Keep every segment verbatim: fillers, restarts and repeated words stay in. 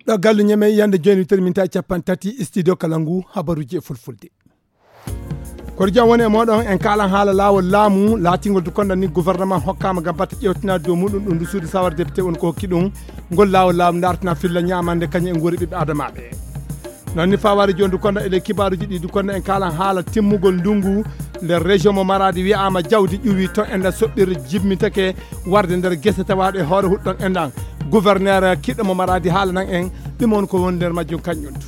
Ɗo gallu ñeme yande jooni, wittere min tawi capanɗe tati, studio kala ngu habaruji e fulfulde. Koto jam woni e moɗon, en kaalan haala laawol laamu laatingol du konda ni gouvernement hokkama ngam batte ƴewtinaade dow muɗum ɗum du suudu sawar député woni ko hokki ɗum ngol laawol laamu dartina filla ñamande kañum e nguuri ɓiɓɓe adamaɓe. Noon ni fawaade jooni du konda ele kibaaruji ɗi du konda en kaalan haala timmugol ndungu nder région mo Maradi wiyama jawdi ƴuwi to enda soɓɓirde jimmitake warde nder gese tawaɗe e hoore huɗɗon endan gouverneur kiɗɗo mo Maradi haala nan en ɗum on ko woni nder majjum kañum du.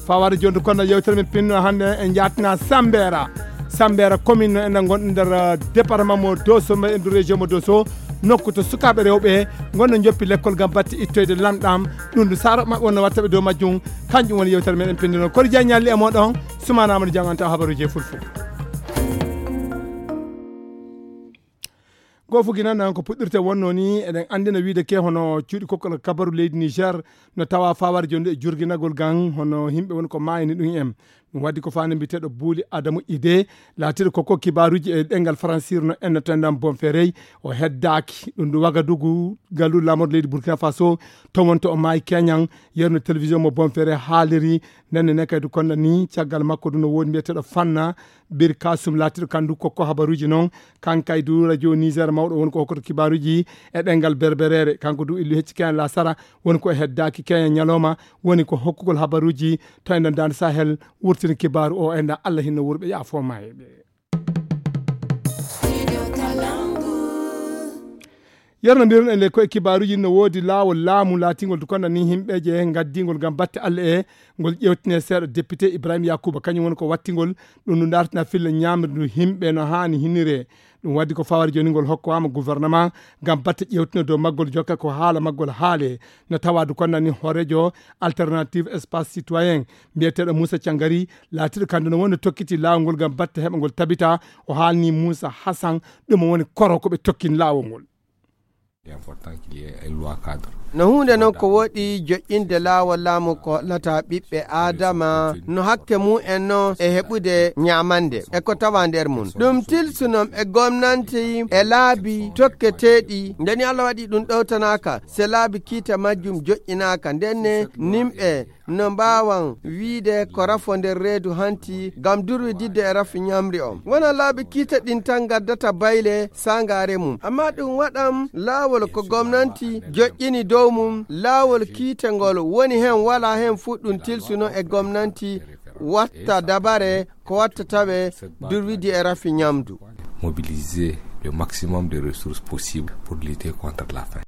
Fawaade jooni du konda yewtere men pinno hannde en jaatina Sambera. Sambera commune no enda gonɗo nder eh, département mo Dosso mo endu région mo Dosso nokku to sukaaɓe rewɓe ngonno joppi lekkol ngam batte ittoyde lanɗam ɗum du saro maɓɓe wonno wattaɓe dow majjum. Kanjum woni yewtere men en pindino kori jañalli e moɗon. Sumana amadou janganta habaruji e fulfulde. Goo fuginana ko puɗɗirte wonno ni eɗen anndina wiide ke hono cuuɗi kokkol kabaru leydi Niger no tawa fawaade jonde e jurginagol gan hono yimɓe woni ko maayani ɗum en. Ɗum waddi ko fande mbiyeteeɗo buuli adamu ide laatiiɗo koko kibaaruji e ɗengal fransir no ennatendan bonferey o heddaaki ɗum ɗum wagadugu galu lamorɗo leydi burkina faso. To wonto o maayi keñan yerno télévision mo bonferey haaliri. Ndenne ne kadi konda ni caggal makko ɗum no woodi mbiyeteeɗo fanna bir kasum laatiiɗo kandu kokko habaruji noon. Kankay du radio niger mawɗo woni ko hokkoto kibaaruji e ɗengal berbereere kanko du illu hecci keñan lasara woni ko heddaaki keñan ñalawma woni ko hokkugol habaruji. To enɗan dande sahel wurtini kibaaru o enɗan allah hinno wurɓe yaafoma e ɓe. Yerno mbiruɗen le koye kibaaruji no woodi laawol laamu laatingol du konda ni yimɓeje ngaddingol ngam batte allah e ngol ƴewtine seeɗa député ibrahima yakuba kañum woni ko wattingol ɗum ndu dartina filla ñamrindu yimɓe no haani hinire. Ɗum waddi ko fawari joni ngol hokkowama gouvernement ngam batte ƴewtino dow maggol jokka ko haala maggol haale. No tawadu konnani hoorejo alternative espace citoyen mbiyeteɗo moussa thiangari laatiɗo kamde no woni tokkiti laawol ngol ngam batte heɓa ngol tabita. O haalni moussa hassan ɗum woni koro ko ɓe tokkin laawol ngol. No huunde noon ko woɗi joƴƴinde laawol laamu ko hollata ɓiɓɓe aadama no hakke mum en noon e heɓude ñaamande e ko tawa nder mum ɗum tilsunoom e gomnanti e laabi tokketeeɗi ndeni allah waɗi ɗum ɗowtanaaka se laabi kiita majjum joƴƴinaaka ndenne nimɓe no mbaawan wiide ko rafo nder reedu hanti ngam durwididde e rafi ñamri on wona laabi kiite ɗin tan ngaddata bayle sangaare mum amma ɗum waɗam laawol ko gomnanti joƴƴini dow mum laawol kiite ngol woni heen wala heen fuɗɗum tilsuno e gomnanti watta dabare ko watta tawe durwidi e rafi ñamdu. Mobiliser le maximum de ressources possibles pour lutter contre la faim.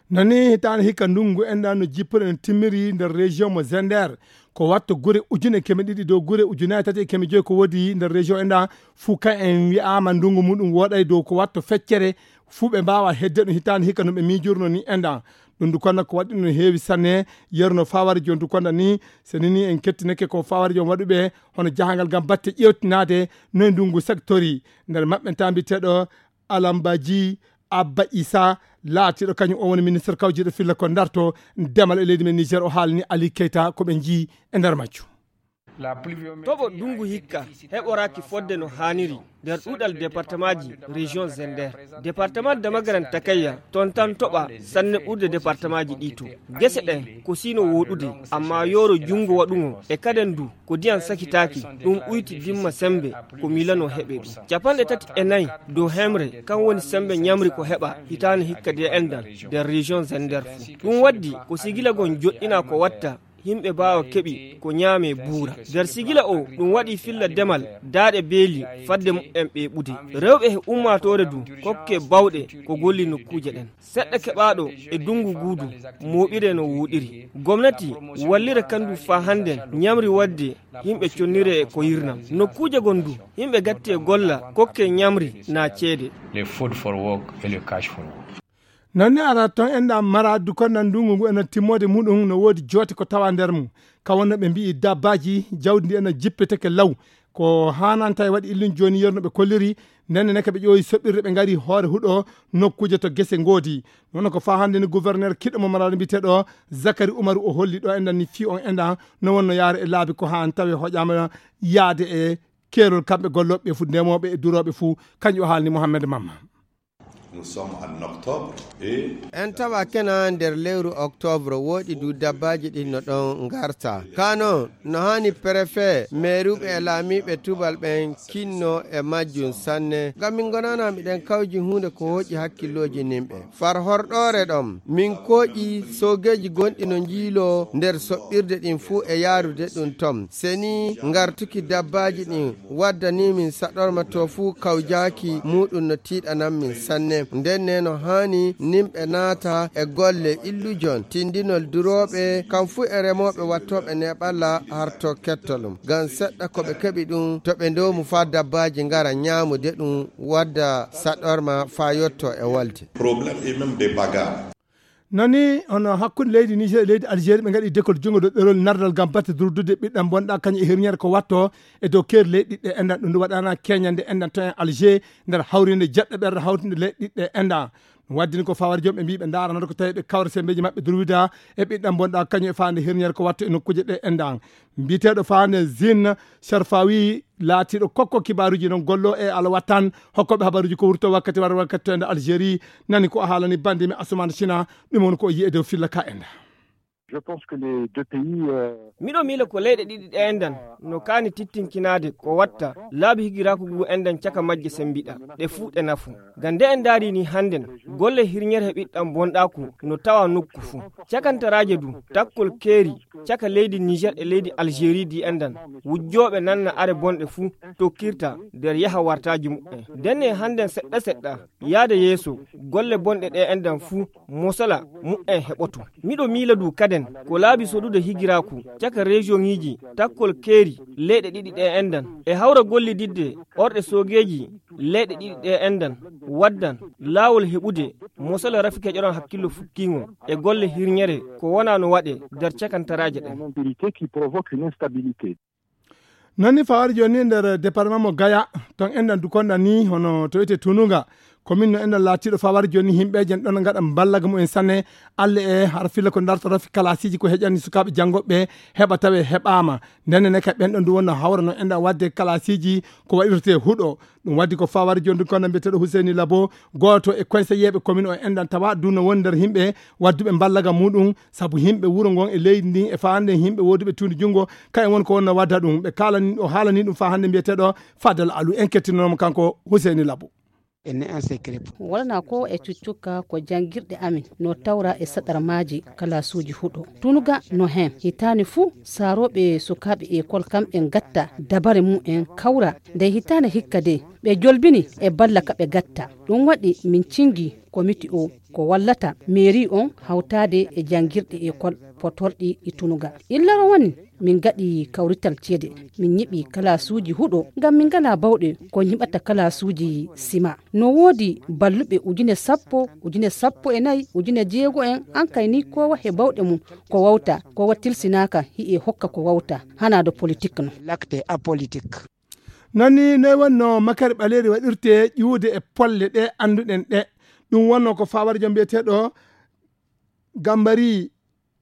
Nani hitaande hikka ndungu enɗa no jippori no timmiri nder région mo zender ko watto gure ujune keme ɗiɗi dow gure ujunaji tati e keme joyi ko woodi nder région enɗa fuu kan en wi'ama ndungu muɗum woɗay dow ko watto feccere fuu ɓe mbawa hedde ɗum hitaande hikka no ɓe miijurno ni enɗa. Ɗum ndu konna ko waɗi no heewi sanne yeru no fawari joni ndu konna ni so nini en kettineke ko fawari joni waɗuɓe hono jahangal ngam batte ƴewtinaade noye ndungu sectori nder maɓɓe tambi teɗo alambaji abba isa laatiiɗo kañum o woni ministre kawjiiɗo filla ko darto ndemal e leydi men niger o haalani ali keyta ko ɓe njii e nder majjum. Toɓo ndungu hikka heɓoraaki fodde no haaniri nder ɗuuɗal departemaaji région zender. Departement damagaran takayya toon tan toɓa sanne ɓurde departemaaji ɗi to gese ɗen ko sino woɗude amma yooro junngo waɗugo e kaden du ko diyan sakitaaki ɗum ɓuyti dimma sembe ko milano heɓe ɗum capanɗe tati e nayi dow hemre kan woni sembe ñamri ko heɓa hitaande hikka de endan nder région zender fuu ɗum waddi ko sigilagol joɗɗina ko watta yimɓe mbaawa keɓi ko ñaame buura nder sigila o ɗum waɗi filla demal daaɗe beeli fadde mumen ɓe ɓude rewɓe he ummaatoore du kokke bawɗe ko golli nokkuuje ɗen seɗɗa keɓaaɗo e dunngu guudu mooɓire no wooɗiri gomnati wallira kandu faa hannden ñamri waɗde yimɓe connire e ko yirnam nokkuuje gon du yimɓe gatti e golla kokke ñamri na ceede. Les food for work et le cash for work. Noon ne ara toon enɗa mara dukon nan ndungu ngu ena timmoode muɗum no woodi joote ko tawa nder mum kawonno ɓe mbi'i dabbaaji jawdi ndi ena jippeteke law ko haananta e waɗi illun jooni yerno ɓe kolliri ndenne neke ɓe ƴooyi soɓɓirde ɓe ngari hoore huɗo nokkuuje to gese ngoodi noon ko faa hannde ni gouverneur kiɗɗo mo maraɗo mbiyeteeɗo zakari umaru o holli ɗo enɗan ni fii on enɗan no wonno yaare e laabi ko haan tawi hoƴaama yaade e keerol kamɓe gollooɓe ɓe fuu, ndemooɓe e durooɓe fuu. Kanƴum o haalni Mohammed Mamma. Nous sommes en octobre et en tawa kena nder lewru octobre, woɗi du dabbaji ɗin no ɗon ngarta. Kano, no hani préfet, meeruɓe e laamiɓe tubal ɓen kinno e majjum sanne. Ngam min gonana miɗen kawji huunde ko hoƴi hakkilloji nimɓe. Far horɗoore ɗon, min koƴi soogeeji gonɗi no njiiloo nder soɓɓirde ɗin fuu e yaarude ɗum ton. Seni ngartuki dabbaaji ɗin waddani min saɗorma to fuu kawjaaki muuɗum no tiiɗanan min sanne. Nden ne no haani nimɓe naata e golle illujon, tindinol durooɓe, kam fuu e remooɓe wattooɓe neeɓalla harto kettolum. Ngam seɗɗa ko ɓe keɓi ɗum, to ɓe ndoomu faa dabbaaji ngara nyaamude ɗum, wadda saɗorma faa yotto e wolde. Problème et même des bagarres. Nani hono hakkunde leydi Niger e leydi Algérie, ɓe ngaɗi dekol junngo dow ɗerol nardal ngam batte durdude ɓiɗɗam bonɗa kañum e hirñere ko watto e dow keeri leyɗe ɗiɗi ɗe enɗan. Ɗum ndu waɗana keñande enɗan to en Alger nder hawrinde jeɗɗo ɓerɗe hawtinde leyɗe ɗiɗi ɗe enɗan. Ɗum waddini ko fawar joom ɓe mbii ɓe ndaranata ko tawi ɓe kawra sembeeji maɓɓe durwida e ɓiɗɗam bonɗa kañum e faande hirñere ko watto e nokkuuje ɗe enɗan. Mbiyeteeɗo faande Zine Sharfawi laatiiɗo kokko kibaaruuji noon gollo e alawatan hokkooɓe habaruuji ko wurto wakkati war wakkati to ende Algérie. Nani ko o haalani bande mi Asuman Sina, ɗum woni ko o yi'i e dow filla ka enda. Je pense que les deux pays, euh, miɗo miila ko leyɗe ɗiɗi ɗe enɗan no kaani tittinkinaade ko watta laabi higiraaku ngu enɗan caka majje sembiɗa ɗe fuu ɗe nafu. Ngam nde en ndaari ni hannden, golle hirñere e ɓiɗɗam bonɗaaku no tawa nokku fuu. Cakantaraaje du, takkol keeri caka leydi Niger e leydi Algérie di enɗan, wujjooɓe nanna are bonɗe fuu tokkirta nder yaha wartaaji muɓɓen. Ndenne hannden seɗɗa seɗɗa, yaade yeeso, golle bonɗe ɗe enɗan fuu, mosala muɓɓen heɓoto. Miɗo miila du kaden, ko laabi sodude higiraaku caka région ŋiiji, takkol keeri leyɗe ɗiɗi ɗe enɗan, e hawra gollididde orɗe soogeeji leyɗe ɗiɗi ɗe enɗan, waddan laawol heɓude mosala rafi keƴoran hakkillo fukkiŋol e golle hirñere ko wona no waɗe nder cakantaraaje ɗen. Une instabilité qui provoque une instabilité. Noon ni fawari jooni nder département mo Gaya, ton enɗan du konɗan ni hono to wiyetee Tunuga, commune no enɗan laatiiɗo fawari jooni yimɓeeje en ɗon ngaɗa mballaga mumen sanne. Alle e har filla ko darta rafi kalasiiji ko heƴani sukaaɓe janngooɓe heɓa tawe heɓaama. Ndenne ne kay ɓen ɗon du wonno hawra no enɗan waɗde kalasiiji ko waɗirtee huɗo. Ɗum waddi ko fawari jooni du konɗan mbiyeteeɗo Huseyni Labo, gooto e conseilleeɓe commune o enɗan tawa du no woni nder yimɓe wadduɓe mballaga muɗum, sabu yimɓe wuro ngon e leydi ndin e faa hannde yimɓe wooduɓe tuundi junngo, kayen woni ko wonno wadda ɗum. Ɓe kaalani, o haalani ɗum faa hannde mbiyeteeɗo Fadal Alu. En kettinanoo mo kanko Huseyni Labo. Ene en secret. Wala ko e cuccukka ko janngirɗe amin no tawra e saɗarmaaji kalaasuuji huɗo. Tunuga no heen. Hitaande fuu, saarooɓe sukaaɓe ekol kamɓe ngatta dabare mumen kawra. Nde hitaande hikka de, ɓe jolbini e balla ka ɓe gatta. Ɗum waɗi min cingi komiti o ko wallata mairie on hawtaade e janngirɗe ekol potorɗi e Tunuga. Illaro woni min ngaɗi kawrital ceede, min ñiɓi kalaasuuji huɗo ngam min ngalaa bawɗe ko ñiɓata kalaasuuji sima. No woodi balluɓe ujune sappo, ujune sappo e nayi, ujune jeego en, an kay ni kowa he bawɗe mum ko wawta, kowa tilsinaaka hi'e hokka ko wawta, hana do politique no. L'acte apolitique. Noon ni, noy wonno makari ɓaleeri waɗirte ƴuwde e polle ɗe annduɗen ɗe? Ɗum wonno ko fawari joom mbiyeteeɗo Gambari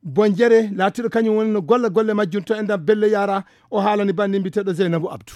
Bonjere, laatiiɗo kañum woni no golla golle majjum to enɗan Belle Yara, o haalani bande mbiyeteeɗo Zeynabu Abdu.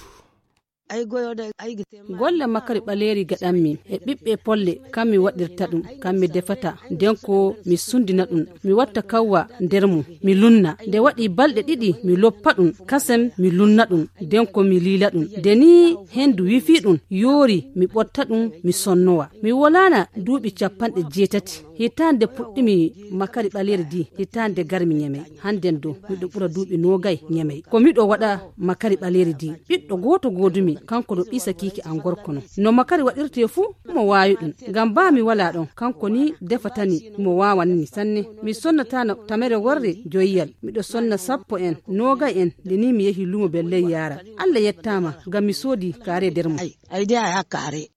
Golle makari ɓaleeri gaɗanmi e ɓiɓɓe polle, kam mi waɗirta ɗum, kam mi defata, nden ko mi sundina ɗum, mi watta kawwa nder mum, mi lunna. Nde waɗi balɗe ɗiɗi, mi loppa ɗum, kasen mi lunna ɗum, nden ko mi liila ɗum. Nde ni hendu wifi ɗum, yoori, mi ɓotta ɗum, mi sonnowa. Mi wolaana duuɓi capanɗe jeetati. Hitaande puɗɗimi makari ɓaleeri di, hitaande garmi Ñamey. Hannden do, miɗo ɓura duuɓi noogay Ñamey. Ko miɗo waɗa makari ɓaleeri di. Ɓiɗɗo gooto goodumi, kanko no ɓiisa kiiki an gorko no. No makari waɗirtee fuu, mo waawi ɗum. Ngam baa mi walaa ɗon, kanko ni defatani, mo waawani sanne. Mi sonnataano tamere worre joyiyal. Miɗo sonna sappo en, noogay en, nde ni mi yehi luumo Belley Yaara. Alla yettaama, ngam mi soodi kaare nder mum. Ay, ay de a yaa kaare.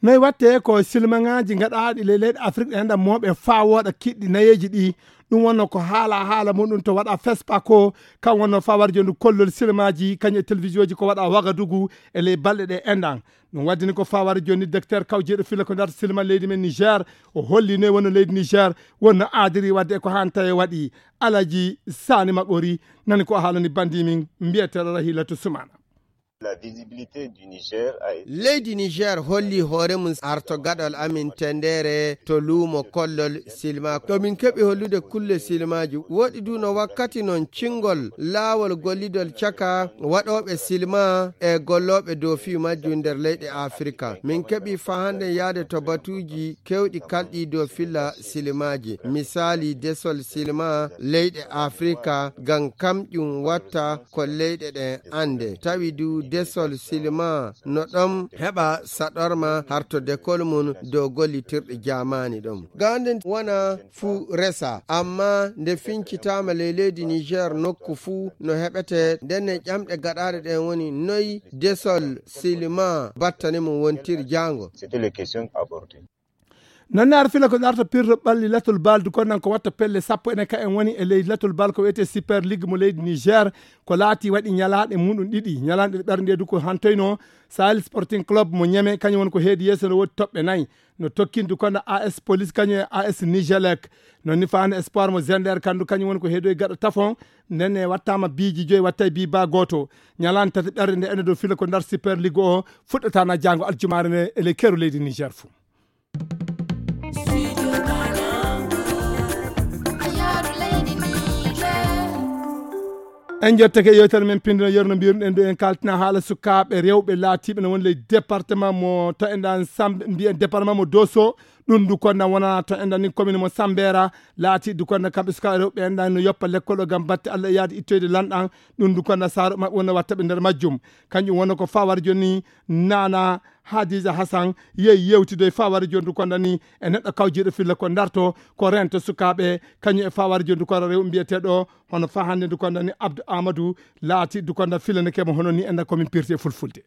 Noy watte ko silmaŋaaji gaɗaaɗi ley leyɗe Afrik ɗe enɗan mooɓe faa wooɗa kiɗɗi nayeeji ɗi. Ɗum wonno ko haala haala muɗum to waɗa fespa ko, kam wonno fawar joni kollol silmaji kañum e télévision ji ko waɗa Wagadugu e ley balɗe ɗe enɗan. Ɗum waddini ko fawar joni docteur kawjeeɗo filla ko nder silma leydi men Niger. O holli noy wonno leydi Niger wonno aadiri wadde e ko hanta e waɗi. Alaji Sani Maɓori nani ko haalani bandi min mbiyeteɗo Rahilatu Sumana. Leydi Niger holli hoore mum arto gaɗal amin tendere to luumo kollol silma. To min keɓi hollude kulle silmaji woɗi du no wakkati non cingol laawol gollidol caka waɗooɓe silma e gollooɓe dow fii majjum nder leyɗe Afirka. Min keɓi fahande yaade to batuuji kewɗi kalɗi dow filla silmaji. Misaali desol silma leyɗe Afirka ngam kamƴum watta ko leyɗe ɗen annde. Tawi du desol silma no ɗon heɓa saɗorma harto dekol mum dow gollitirɗe jaamaani ɗon. Gande wona fuu resa, amma nde fincitaama ley leydi Niger nokku fuu no heɓete. Ndenne ƴamɗe gaɗaaɗe ɗen woni noy desol silma battane mum wontiri jaango. Nonne ar fila ko darta pirto ɓalli latol bal du konnan ko watta pelle sappo enen ka en woni e leydi latol bal ko wiyete super ligue mo leydi Niger. Ko laati waɗi ñalaaɗe muɗum ɗiɗi, ñalaaɗe ɓernde du ko hantoyno Sahel Sporting Club mo Ñeme, kañum woni ko heedi yeeso no woodi toɓɓe nayi. No tokkindu kono A S Police kañum e A S Nigelec. Noon ni faande espoir mo Zender kandu kañum woni ko heedoy gaɗa tafon. Ndenne wattaama biiji joyi wattay bi ba gooto. Ñalaande tati ɓerde nde ene dow fila ko ndar super ligue o fuɗɗataana jaango aljumaare nde e ley keru leydi Niger fuu. En jottake yewtere men pindino yerno mbiyirɗen ɗo en kaltina haala sukaaɓe rewɓe laatiiɓe no woni ley département mo to enɗan sambe mbiyen département mo doso. Ɗum du konda wona to enɗan ni commune mo sambera laati du konda kamɓe sukaaɓe rewɓe enɗan no yoppa lekkol o gam batte allah e yaade ittoyde lanɗan. Ɗum du konda saaro maɓɓe wona watta ɓe nder majjum. Kanƴum wona ko fawar joni nana Hadija Hassan yehi yewtidoy fawar joni du konda ni e neɗɗo kawjiiɗo filla ko darto ko rento sukaaɓe kañum e fawar joni du konda rew mbiyeteɗo hono fa hannde du konda ni Abdou Amadou laati du konda filanekemo hono ni enɗan komin pirti e fulfulde.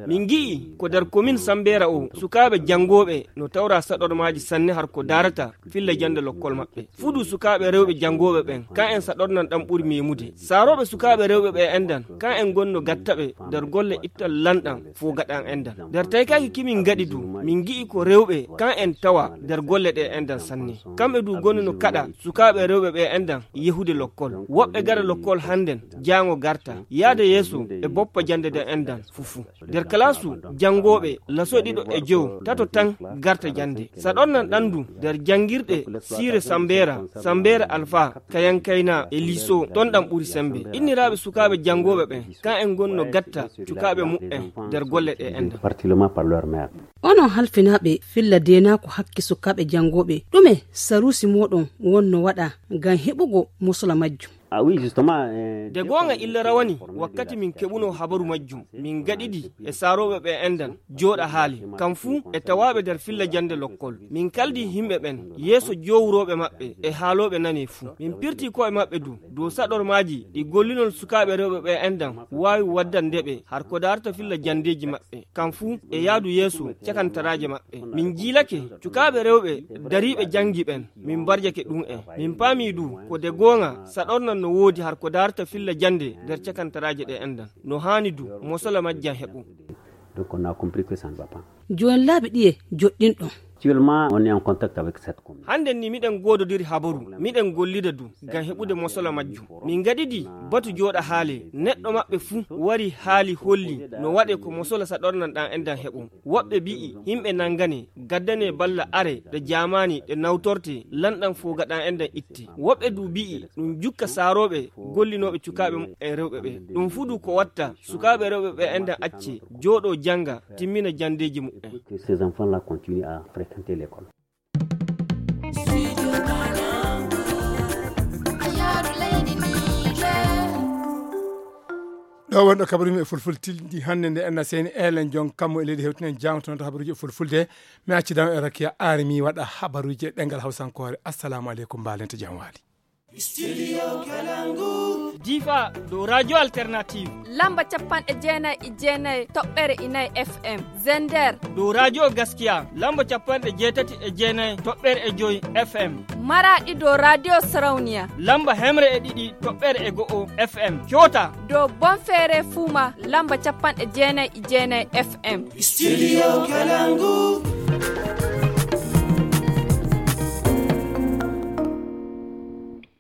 Min ngi'i ko nder komin sambeera o sukaaɓe janngooɓe no tawra saɗormaaji sanne har ko daarata filla jannde lokkol maɓɓe. Fudu sukaaɓe rewɓe janngooɓe ɓen kan en saɗornan ɗan ɓuri meemude. Saarooɓe sukaaɓe rewɓe ɓe enɗan kan en gonno gatta ɓe nder golle ittal lanɗan fow gaɗan enɗan. Nder taykaaki kimin ngaɗi du min ngi'i ko rewɓe kan en tawa nder golle ɗe enɗan sanne. Kamɓe du gonno no kaɗa sukaaɓe rewɓe ɓe enɗan yehude lokkol. Woɓɓe gara lokkol hannden jaango garta yaada yeeso e boppa jannde nden enɗan fuffu. Nder kalaasu janngooɓe laso ɗiɗo e jowo tato tan garta jannde. Saɗornan ɗan du nder janngirɗe siire sambeera sambeera alfa kayankayna e liso ton ɗan ɓuri sembe. Inniraaɓe sukaaɓe janngooɓe ɓen kan en gonno gatta cukaaɓe muɓɓen nder golle ɗe enɗan. Onon halfinaaɓe filla deenaaku hakke sukaaɓe janngooɓe ɗume saruusi mooɗon wonno waɗa ngam heɓugo mosola majjum? De goonga illa rawani wakkati min keɓuno habaru majjum min gaɗidi e saarooɓe ɓe enɗan jooɗa haali kam fuu e tawaaɓe nder filla jannde lokkol. Min kaldi yimɓe ɓen yeeso joowurooɓe maɓɓe e haalooɓe nane fuu. Min pirti ko'e maɓɓe du dow saɗormaaji ɗi gollinol sukaaɓe rewɓe ɓe enɗan waawi waddande ɓe har ko daarata filla janndeeji maɓɓe. Kam fuu e yaadu yeeso cakantaraaje maɓɓe. Min jiilake cukaaɓe rewɓe dariiɓe janngi ɓen min mbarjake ɗum en. Min paami du ko de goonga saɗornan no woodi har ko daarata filla jannde nder cakantaraaje ɗe enɗan. No haani du mosola majjan heɓu. Jooni laabi ɗiye joɗɗinɗon? Hannden ni miɗen goododiri habaru miɗen gollida du ngam heɓude mosola majjum. Min ngaɗidi batu jooɗa haale neɗɗo maɓɓe fuu wari haali holli no waɗe ko mosola saɗornan ɗan enɗan heɓum. Woɓɓe bi'i himɓe nangane gaddane balla are ɗe jaamaani ɗe nawtorte lanɗan fogaɗan enɗan itte. Woɓɓe du bi'i ɗum jukka saarooɓe gollinooɓe cukaaɓe muɓɓen rewɓe ɓe. Ɗum fuu du ko watta sukaaɓe rewɓe ɓe enɗan acce jooɗo jannga timmina janndeeji muɓɓen. Ɗo wonɗo kabaru yimɓe fulful tilɗi hannde nde enna seni elen jon kammu e leydi hewtinen jangtonoto habaruji e fulfulde. Mi accidama e rakiya ari mi waɗa habaruji e ɗengal hawsankoore. Assalamu aleykum mbalente jam waali. Difa dow Radio Alternative. Lamba capanɗe jeenayi e jeenayi toɓɓere inayi F M. Zender. Dow Radio Gaskiya, lamba capanɗe jeetati e jeenayi toɓɓere e joyi F M. Maraɗi dow Radio Sarauniya. Lamba hemre e ɗiɗi toɓɓere e go'o F M. Kyota. Dow Bonfere Fuma, lamba capanɗe jeenayi e jeenayi F M. Studio Kalangu.